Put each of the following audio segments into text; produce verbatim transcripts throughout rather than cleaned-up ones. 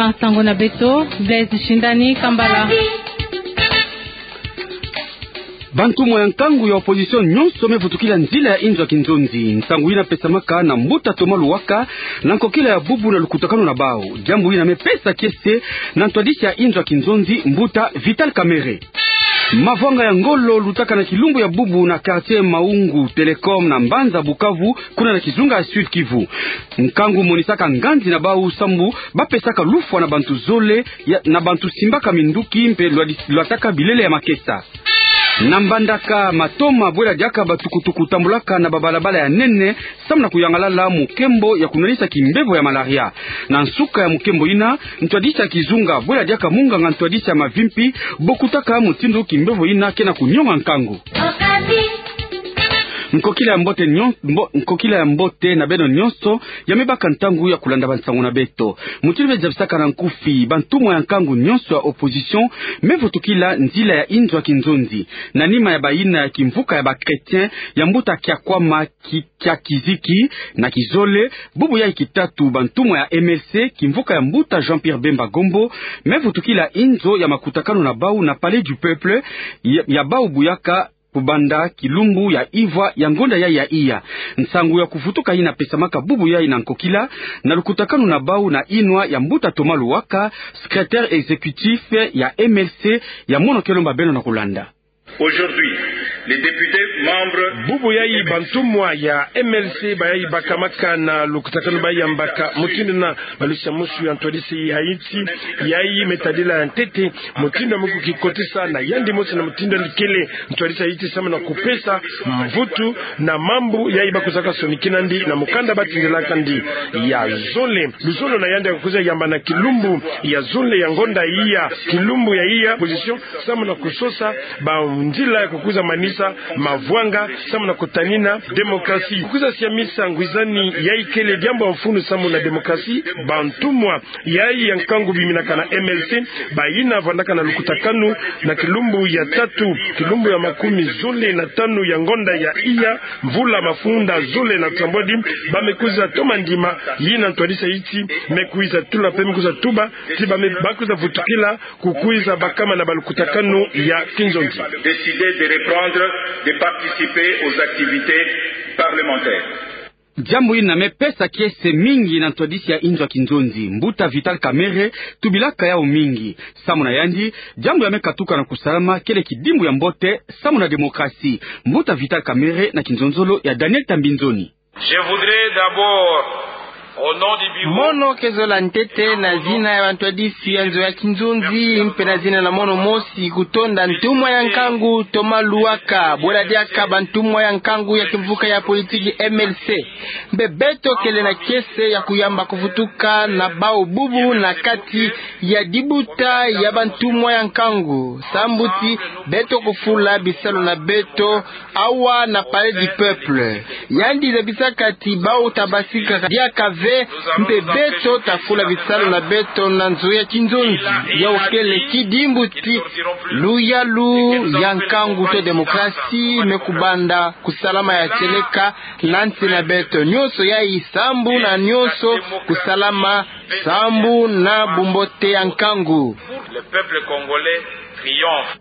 Nsangu na beto, Blaise Shindani, Kambala. Bantumwa ya nkangu ya opposition nyonso me vutukila nzila ya inzo ya kinzonzi. Nsangu yina pesamaka na mbuta Thomas Luwaka na nkokila ya bubu na lukutakanu na bawu. Diambu yina me pesa kiese na ntwadisi ya inzo ya kinzonzi, mbuta Vital Kamerhe. Mavwanga ya ngolo lutaka na kilumbu ya bubu na quartier Maungu Telecom na mbanza Bukavu, kuna na kizunga ya Sud-Kivu. Nkangu monisaka nganzi na bawu sambu ba pesaka lufwa na bantu zole ya, na bantu simbaka minduki mpe lwadi-, lwataka bilele ya makesa. Na Mbandaka, matoma bwela diaka batukutuku tambulaka na babalabala ya nene, samu na kuyangalala mukembo ya kunwanisa kimbevo ya malaria. Na nsuka ya mukembo yina, ntwadisi ya kizunga bwela diaka munganga ntwadisi ya mavimpi bo kutaka mutindu kimbevo yina ke na kunyonga nkangu. Nkokila ya mbote nyon-, mbo-, nkokila ya mbote na beno nyonso ya me baka ntangu ya kulanda bansangu na beto. Mutindu me zabisaka na nkufi, bantumwa ya nkangu nyonso ya opposition me vutukila nzila ya inzo ya kinzonzi. Na nima ya bayina ya kimvuka ya ba chrétiens ya mbuta Kiakwama Ki-, Kiakiziki na kizole, bubu yayi kitatu bantumwa ya M L C, kimvuka ya mbuta Jean-Pierre Bemba Gombo, me vutukila inzo ya makutakanu na bawu na Palais du Peuple ya, ya bawu buyaka kubanda kilumbu ya ivwa ya ngonda yayi ya iya. Nsangu ya kuvutuka yina pesamaka bubu yayi na nkokila na lukutakanu na bawu na inwa ya mbuta Thomas Luwaka, secrétaire exécutif ya M L C, ya mono ke lomba beno na kulanda. Aujourd'hui, les députés membres... Bubu yayi bantumwa ya M L C bayayi bakamaka na lukutakanu bayambaka mutindu na balusi ya musu ya ntwadisi ya insi yayi me tadila ya ntete mutindu ya me kukikotisa na yandi mosi na mutindu yandi kele ntwadisi ya insi samu na kupesa mvutu na mambu yayi ba kwizaka sonikina ndi na mukanda ba tindilaka ndi. Ya zole, luzolo na yandi ya kukwiza yamba na kilumbu ya zole ya ngonda iya, kilumbu ya iya, opposition, samu na kusosa banzila ya kukwiza manisa mavwanga, samu na kutanina démocratie. Kukwiza siamisa ngwizani yayi kele diambu ya mfunu samu na démocratie, bantumwa yayi ya nkangu biminaka na M L C, bayina vandaka na lukutakanu na kilumbu ya tatu, kilumbu ya makumi zole na tanu ya ngonda ya iya, mvula mafunda zole na nsambwadi, ba me kwiza toma ndima yina ntwadisi ya insi me kwiza tula mpe me kwiza tuba, ti ba me, ba kwiza vutukila kukwiza bakama na balukutakanu ya kinzonzi. Décidé de reprendre de participer aux activités parlementaires. Diambu yina me pesa kiese mingi na ntwadisi ya inzo ya kinzonzi. Mbuta Vital Kamerhe tubilaka yawu mingi. Samu na yandi, diambu ya me katuka na kusalama kele kidimbu ya mbote samu na démocratie. Mbuta Vital Kamerhe na kinzonzolo ya Daniel Tambinzoni. Je voudrais d'abord, au nom du bureau... Mono ke zola ntete na zina ya bantwadisi ya nzo ya kinzonzi, mpe na zina na mono mosi, kutonda ntumwa ya nkangu Thomas Luwaka, bwela diaka bantumwa ya nkangu ya kimvuka ya politiki M L C. Mpe beto kele na kiese ya kuyamba kuvutuka na bawu bubu na kati ya dibuta ya bantumwa ya nkangu, sambu ti beto kufula bisalu na beto awa na Palais du Peuple. Yandi zabisaka ti bawu ta basika diaka ve, mpe beto ta fula bisalu na beto na nzo ya kinzonzi. Yawu kele kidimbu ti luyalu ya nkangu to démocratie me kubanda kusalama ya tieleka na nsi na beto. Nyonso yayi sambu na nyonso kusalama, sambu na bumbote ya nkangu. Le peuple congolais triomphe.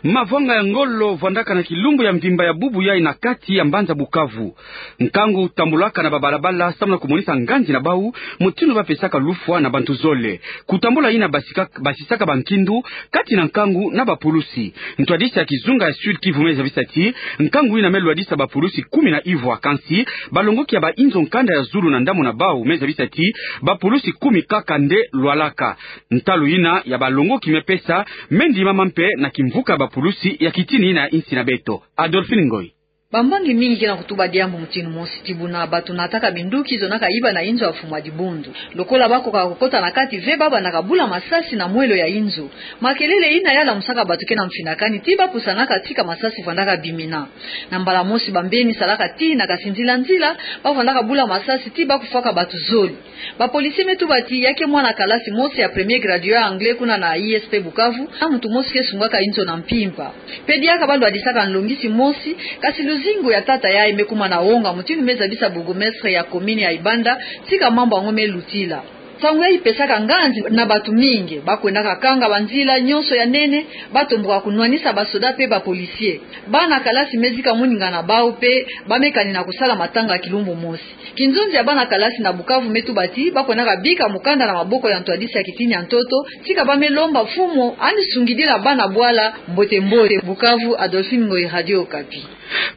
Mavwanga ya ngolo vwandaka na kilumbu ya mvimba ya bubu yayi na kati ya mbanza Bukavu. Nkangu tambulaka na babalabala samu na kumonisa nganzi na bawu, mutindu ba pesaka lufwa na bantu zole. Kutambula yina basika-, basisaka bankindu kati na nkangu na bapulusi. Ntwadisi ya kizunga ya Sud-Kivu me zabisa ti nkangu yina me lwadisa bapulusi kumi na ivwa, kansi balongoki ya bainzo nkanda ya zulu na ndambu na bawu me zabisa ti bapulusi kumi kaka nde lwalaka. Ntalu yina ya balongoki me pesa me ndimama mpe na kimvuka ya bapulusi ya kitini yina ya insi na beto. Adolphine Ngoy. Bambangi mingi ke na kutuba diambu mutindu mosi ti buna bato nataka minduki zonaka iba na inzo ya mfumu ya dibundu. Lokola ba kokaka kukota na kati ve, ba bandaka bula masasi na mwelo ya inzo. Makelele yina ya lamusaka bato ke na mfinakani ti ba pusanaka tika masasi vwandaka bimina. Na mbala mosi bambeni salaka tii na kasinzila nzila, ba vwandaka bula masasi ti ba kufwaka bato zole. Bapolisi me tuba ti ya ke mwana kalasi mosi ya premier gradué ya anglais kuna na I S P Bukavu, na muntu mosi ke sungaka inzo na mpimpa. Pe diaka ba lwadisaka nlongisi mosi, kasi luzingu ya tata yayi me kuma na wonga, mutindu me zabisa bourgmestre ya commune ya Ibanda tika mambu yango me lutila. Nsangu yayi ipesaka nganzi na bato mingi. Bakwendaka kanga banzila nyonso ya nene, batomboka kunwanisa basoda mpe bapolisie. Bana kalasi me zika moninga na bau mpe ba me kanina kusala matanga ya kilumbu mosi. Kinzonzi ya bana kalasi na Bukavu me tuba ti bakwendaka bika mukanda na maboko ya ntwadisi ya kitini ya ntoto, tika ba me lomba mfumu ani sungidila bana bwala mbote mbote. Bukavu, Adolphine Ngoyi, Radio Okapi.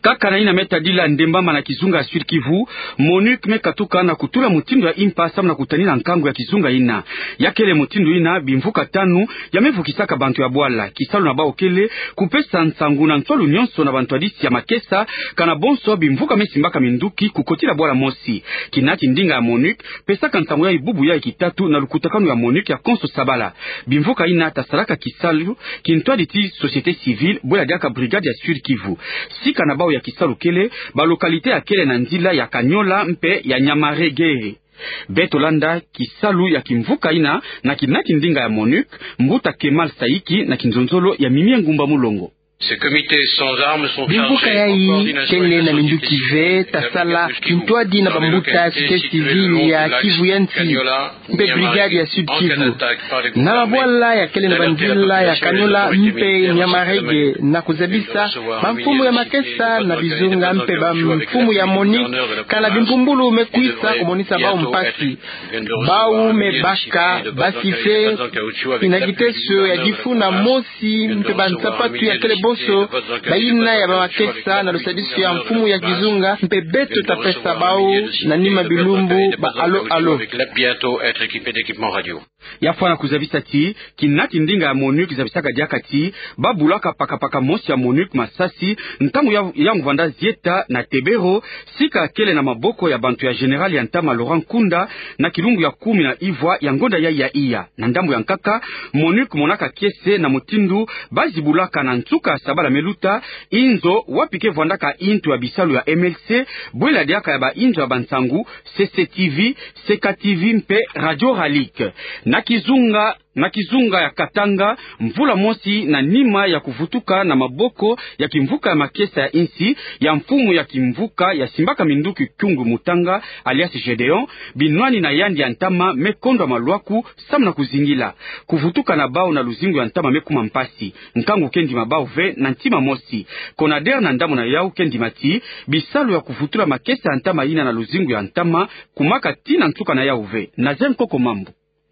Kaka na yina me tadila ndembama na kizunga ya Sud-Kivu, MONUC me katuka na kutula mutindu ya impa samu na kutanina nkangu ya kizunga yina. Ya kele mutindu yina bimvuka tanu ya me vukisaka bantu ya bwala. Kisalu na bau kele kupesa nsangu na nswalu nyonso na bantwadisi ya makesa, kana bonso bimvuka me simbaka minduki kukotila bwala mosi. Kinati ndinga ya MONUC pesaka nsangu yayi bubu yayi kitatu na lukutakanu ya MONUC ya konso sabala. Bimvuka yina tasalaka kisalu kintwadi ti société civile, bwela diaka brigade ya Sud-Kivu. Sika na bau ya kisalu kele ba localité ya kele na nzila ya Kanyola mpe ya Nyamarege. Beto landa kisalu ya kimvuka yina na kinati ndinga ya MONUC, mbuta Kemal Saiki na kinzonzolo ya Mimie Ngumba Mulongo. Bimvuka yayi kele na minduki ve, tasala kintwadi na bambuta ya société civile ya Kivu ya Nsi mpe brigade ya Sud-Kivu. Na mabwala ya kele na banzila ya Kanyola mpe Nyamarege, na kuzabisa bamfumu ya makesa na bizunga mpe bamfumu ya MONUC, kana bimpumbulu me kwisa kumonisa bau mpasi. Bau me baka basi ve na kiteso ya difu na mosi mpe bansapatu ya kele bonso bayina ya bamakesa na lusadisu ya mfumu ya kizunga, mpe beto tapesa bau na nima bilumbu ba alo alo. Ya fwana kuzabisa ti kinati ndinga ya MONUC zabisaka diaka ti ba bulaka pakapaka mosi ya MONUC masasi ntangu ya, ya mvanda zieta na Tebero, sika kele na maboko ya bantu ya général ya ntama Laurent Nkunda, na kilumbu ya kumi na ivwa ya ngonda yayi ya iya. Na ndambu ya nkaka, MONUC monaka kiese na mutindu ba zibulaka na nsuka ya sabala me luta inzo wapi ke vwandaka intu ya bisalu ya M L C, bwela diaka ya ba inzo ya bansangu, C C T V, C K T V mpe Radio Ralik. Na kizunga, na kizunga ya Katanga, mvula mosi na nima ya kuvutuka na maboko ya kimvuka ya makesa ya insi ya mfumu ya kimvuka ya simbaka minduki Kyungu Mutanga, alias Gédéon, binwani na yandi ya ntama me kondwa malwaku samu na kuzingila. Kuvutuka na bau na luzingu ya ntama me kuma mpasi. Nkangu ke ndima bau ve na ntima mosi. CONADER na ndambu na yau ke ndima ti bisalu ya kuvutula makesa ya ntama yina na luzingu ya ntama kumaka tii na nsuka na yau ve. Nazaire Nkoko Mambu.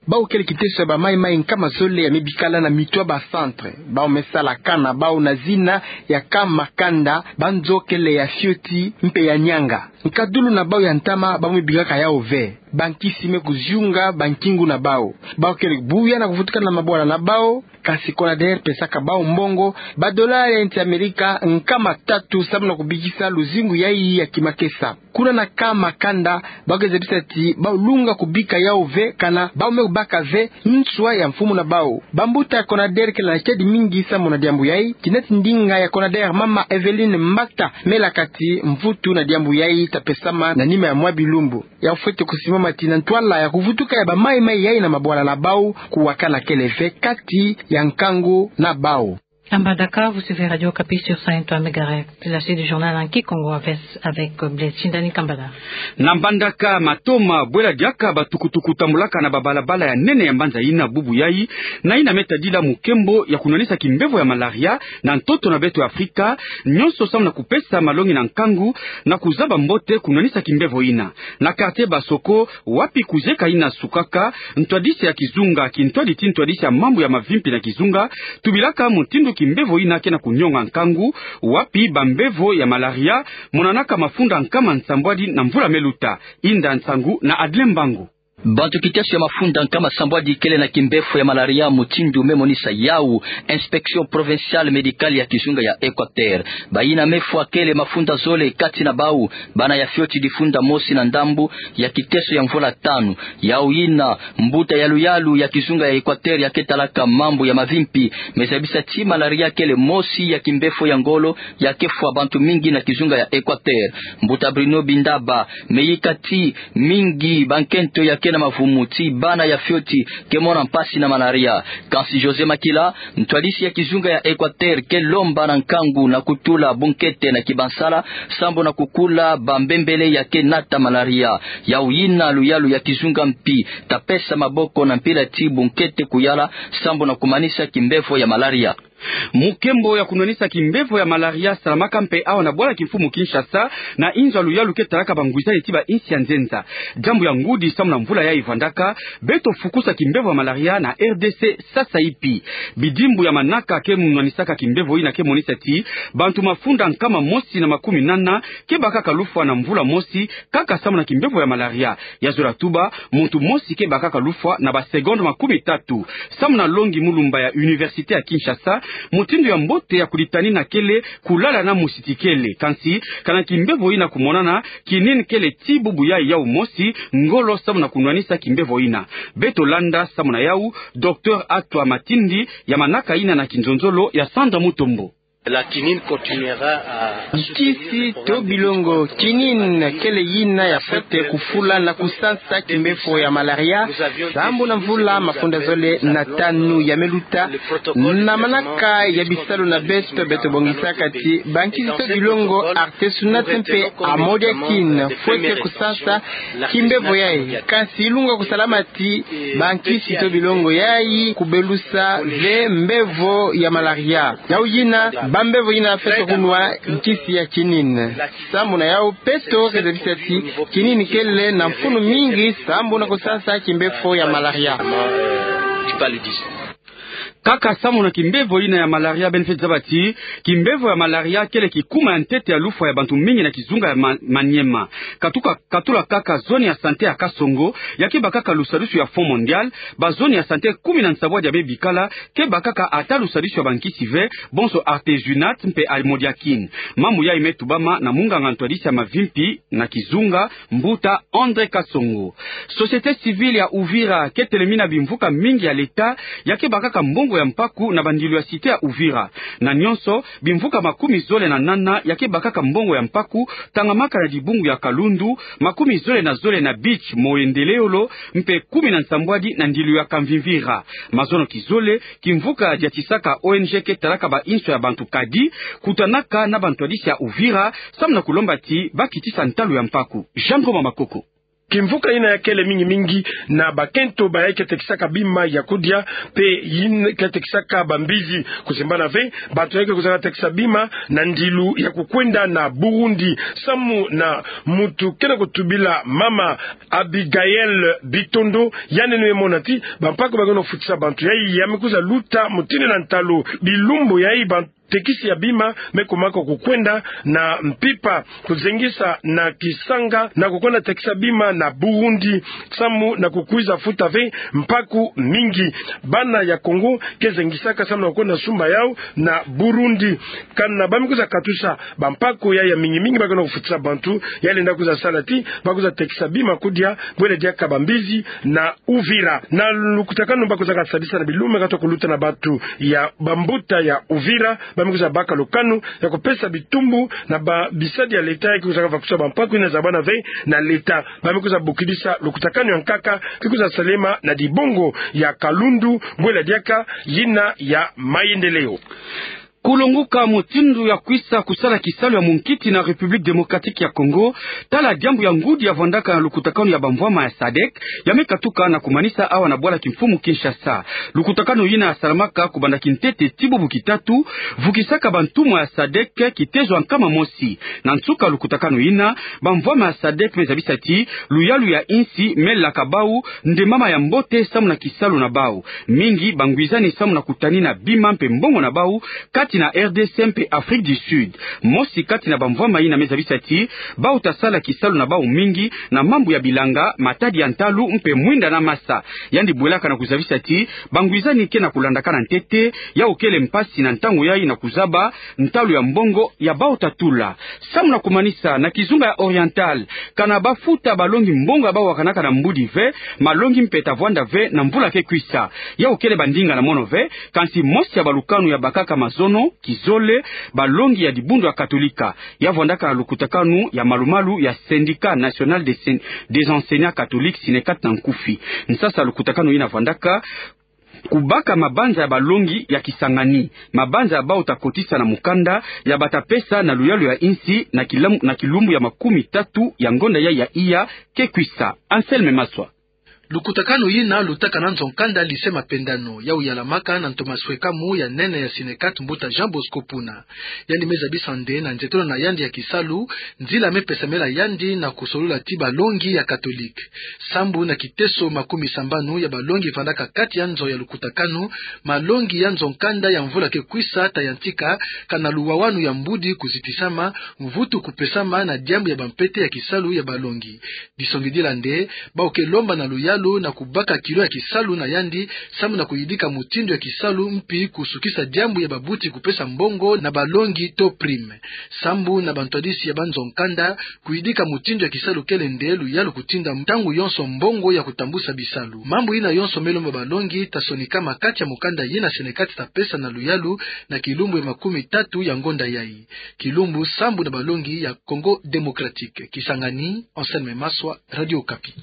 Bau kele kiteso ya ba maimai nkama zole ya me bikala na mitwa ba centre. Bau me sala camp na bau na zina ya camp Makanda, ba nzo kele ya fioti mpe ya nianga. Nkadulu na bau ya ntama bau me bikaka yau ve. Bankisi me kuziunga bankingu na bau. Bau kele buya na kuvutuka na mabwala na bau, kasi CONADER pesaka bau mbongo ba dolari ya insi Amerika nkama tatu samu na kubikisa luzingu yayi ya kimakesa. Kuna na camp Makanda, bau ke zabisa ti bau lunga kubika yau ve, kana bau me kubaka ve nswa ya mfumu na bau. Bambuta ya CONADER kele na kiadi mingi samu na diambu yayi. Kinati ndinga ya CONADER, mama Evelyne Mbata, me laka ti mvutu na diambu yayi tapesama na nima ya mwa bilumbu. Ya fwete kusimama ti na ntwala ya kuvutuka ya ba maimai yayi na mabwala na bau, kuwakana kele ve kati ya nkangu na bau. À Mbandaka, vous suivez Radio Okapi sur cent un point trois mégahertz. La suite du journal en kikongo avec, avec Blaise Shindani Kambala. Na Mbandaka, matoma, bwela diaka batukutuku tambulaka na babalabala ya nene ya mbanza yina bubu yayi, na yina me tadila mukembo ya kunwanisa kimbevo ya malaria na ntoto na beto ya Afrika, nyonso samu na kupesa malongi na nkangu na kuzaba mbote kunwanisa kimbevo yina. Na quartier Basoko, wapi kuzieka yina sukaka, ntwadisi ya kizunga, kintwadi ti ntwadisi ya mambu ya mavimpi na kizunga, tubilaka mutindu kimbevo yina ke na kunionga nkangu, wapi bambevo ya malaria monanaka mafunda nkama nsambwadi na mvula me luta. Inda nsangu na Adlin Mbangu. Bantu kiteso ya mafunda nkama sambwadi kele na kimbefo ya malaria, mutindu me monisa yau Inspection Provinciale Médicale ya kizunga ya Équateur. Bayina me fwa kele mafunda zole, kati na bau bana ya fioti difunda mosi na ndambu ya kiteso ya mvula tanu. Yau yina, mbuta ya luyalu ya kizunga ya Équateur ya ke talaka mambu ya mavimpi me zabisa ti malaria kele mosi ya kimbefo ya ngolo ya ke fwa bantu mingi na kizunga ya Équateur. Mbuta Bruno Bindaba me yika ti mingi bankento ya na mavumu ti bana ya fioti ke mona mpasi na malaria. Kansi José Makila, ntwadisi ya kizunga ya Équateur, ke lomba na nkangu na kutula bunkete na kibansala, sambu na kukula bambembele ya ke nata malaria. Yau yina luyalu ya kizunga mpi, ta pesa maboko na mpila ti bunkete kuyala, sambu na kumanisa kimbevo ya malaria. Mukembo ya kunwanisa kimbevo ya malaria salamaka mpe awa na bwala kimfumu Kinshasa, na inzo ya luyalu ke talaka bangwizani ti bainsi ya nzenza. Diambu ya ngudi samu na mvula yayi vandaka, beto fukusa kimbevo ya malaria na R D C sasa ipi. Bidimbu ya manaka ke munwanisaka kimbevo yina ke monisa ti bantu mafunda nkama mosi na makumi nana ke bakaka lufwa na mvula mosi, kaka samu na kimbevo ya malaria. Ya zola tuba, muntu mosi ke bakaka lufwa na ba seconde makumi tatu. Samu na Longi Mulumba ya Université ya Kinshasa, mutindu ya mbote ya kuditanina kele kulala na musiti kele. Kansi, kana kimbevo yina kumonana, kinini kele ti bubu yayi yau mosi, ngolo samu na kunwanisa kimbevo yina. Beto landa samu na yau, Docteur Atwa Matindi, ya manaka yina na kinzonzolo ya Sandra Mutombo. La quinine continuera à Nkisi to bilongo, quinine kele yina ya fwete kufula na kusansa kimbevo ya malaria, sambu na mvula mafunda zole na tanu ya meluta, na manaka ya bisalu na beto, beto bongisaka ti bankisi to bilongo, artesunate mpe amodiakine, fwete kusansa kimbevo yayi. Kansi ilunga kusalama ti bankisi to bilongo yayi kubelusa ve mbevo ya malaria. Yau yina, bambevo yina fwete kunwa nkisi ya quinine. Sambu na yau, beto ke zabisa ti quinine kele na mfunu mingi sambu na kusansa kimbevo ya malaria. Kaka samu na kimbevo yina ya malaria, beno fwete zaba ti kimbevo ya malaria kele kikuma ya ntete ya lufwa ya bantu mingi na kizunga ya Ma-, Maniema. Katuka, katula kaka zone ya santé ya Kasongo, ya ke bakaka lusadisu ya Fonds Mondial, bazone ya santé kumi na nsambwadi ya me bikala ke bakaka ata lusadisu ya bankisi ve, bonso artesunate mpe amodiakine. Mambu yayi me tubama na munganga ntwadisi ya mavimpi na kizunga, mbuta André Kasongo. Société civile ya Uvira ke telemina bimvuka mingi ya l'État ya ke bakaka mbongo ya mpaku na bandilu ya cité ya Uvira. Na nyonso, bimvuka makumi zole na nana ya ke bakaka mbongo ya mpaku, tangamaka na dibungu ya Kalundu, makumi zole na zole na Beach, Moyendeleyolo, mpe kumi na nsambwadi na ndilu ya Kamvimvira. Mazono kizole, kimvuka diatisaka O N G ke talaka bainso ya bantu kadi, kutanaka na bantwadisi ya Uvira, samu na kulomba ti bakitisa ntalu ya mpaku. Jean Ngoma Makoko. Kimvuka yina ya kele mingi mingi na bakento bayayi ke tekisaka bima ya kudia, mpe yina ke tekisaka bambizi. Kusimbana ve, bantu yayi ke kuzana tekisa bima na ndilu ya kukwenda na Burundi, samu na muntu ke na kutubila mama Abigail Bitondo, yandi yeno mona ti bampaku ba ke na kufutisa bantu yayi ya me kuza luta mutini na ntalu. Bilumbu yayi bantu tekisi ya bima me kumaka kukwenda na mpimpa, kuzengisa na Kisanga, na kukwenda tekisa bima na Burundi, samu na kukwiza futa ve mpaku mingi. Bana ya Kongo ke zengisaka samu na kukwenda sumba yau na Burundi. Kana ba me kwiza katusa bampaku yayi ya mingi mingi ba ke na kufutisa bantu, ya lenda kwiza sala ti ba kwiza tekisa bima kudia, bwele diaka bambizi na Uvira. Na lukutakanu ba kwizaka sadisa na bilumbu me katuka kuluta na bantu ya bambuta ya Uvira, ba me kwiza baka lukanu ya kupesa bitumbu na ba bisadi ya l'État ya ke kwizaka vakusa bampaku yina zabana ve na l'État. Ba me kwiza bokidisa lukutakanu ya nkaka ke kwiza salema na dibungu ya Kalundu, bwele diaka yina ya Mayendeleo. Kulonguka mutindu ya kwisa kusala kisalu ya munkiti na République Démocratique ya Congo, tala diambu ya ngudi ya vandaka na lukutakanu ya bamvwama ya sadec, ya me katuka na kumanisa awa na bwala kimfumu Kinshasa. Lukutakanu yina ya salamaka kubanda kintete ti bubu kitatu, vukisaka bantumwa ya sadec kitezo ya nkama mosi. Na nsuka lukutakanu yina, bamvwama ya sadec me zabisa ti luyalu ya insi me laka bau nde mama ya mbote samu na kisalu na bau. Mingi bangwizani samu na kutanina bima mpe mbongo na bau kati na R D C mpe Afrique du Sud. Mosi kati na bamvwama yina me zabisa ti bau ta sala kisalu na bau mingi na mambu ya bilanga, matadi ya ntalu mpe mwinda na masa. Yandi bwelaka na kuzabisa ti bangwizani ke na kulandakana ntete, yau kele mpasi na ntangu yayi na kuzaba ntalu ya mbongo ya bau ta tula. Samu na kumanisa, na kizunga ya Oriental, kana bafuta balongi mbongo ya bawakanaka na mbudi ve, malongi mpe tavwanda ve na mvula ke kwisa. Yau kele bandinga na mono ve, kansi mosi ya balukanu ya bakaka mazono, kizole, balongi ya dibundu ya Katolika. Ya vwandaka lukutakanu ya malumalu ya Syndicat National des Sen-, des Enseignants Catholiques, SNECAT na nkufi. Nsasa lukutakanu yina vwandaka: kubaka mabanza ya balongi ya Kisangani, mabanza ya bau takotisa na mukanda ya bata pesa na luyalu ya insi na kilam-, na kilumbu ya makumi tatu ya ngonda ya, ya iya ke kwisa. Anselme Maswa. Lukutakanu yina lutaka na nzo-nkanda Lycée Mapendano, yau yalamaka na ntoma swekamu ya nene ya SNECAT, mbuta Jean Bosco Puna. Yandi me zabisa nde na nzietolo na yandi ya kisalu, nzila me pesamela yandi na kusolula ti balongi ya Katolike. Sambu na kiteso makumi sambanu ya balongi vandaka kati ya nzo ya lukutakanu, malongi ya nzo-nkanda ya mvula ke kwisa ta yantika, kana luwawanu ya mbudi kuzitisama, mvutu kupesama na diambu ya bampete ya kisalu ya balongi. Disongidila nde, bau ke lomba na luyalu na kubaka kilo ya kisalu na yandi, sambu na kuyidika mutindu ya kisalu mpi kusukisa diambu ya babuti kupesa mbongo na balongi to prime. Sambu na bantwadisi ya banzo-nkanda, kuyidika mutindu ya kisalu kele nde luyalu kutinda ntangu yonso mbongo ya kutambusa bisalu. Mambu yina yonso me lomba balongi ta sonikama kati ya mukanda yina SNECAT ta pesa na luyalu na kilumbu ya makumi tatu ya ngonda yai. Kilumbu sambu na balongi ya Congo Démocratique. Kisangani, Anselme Maswa, Radio Okapi.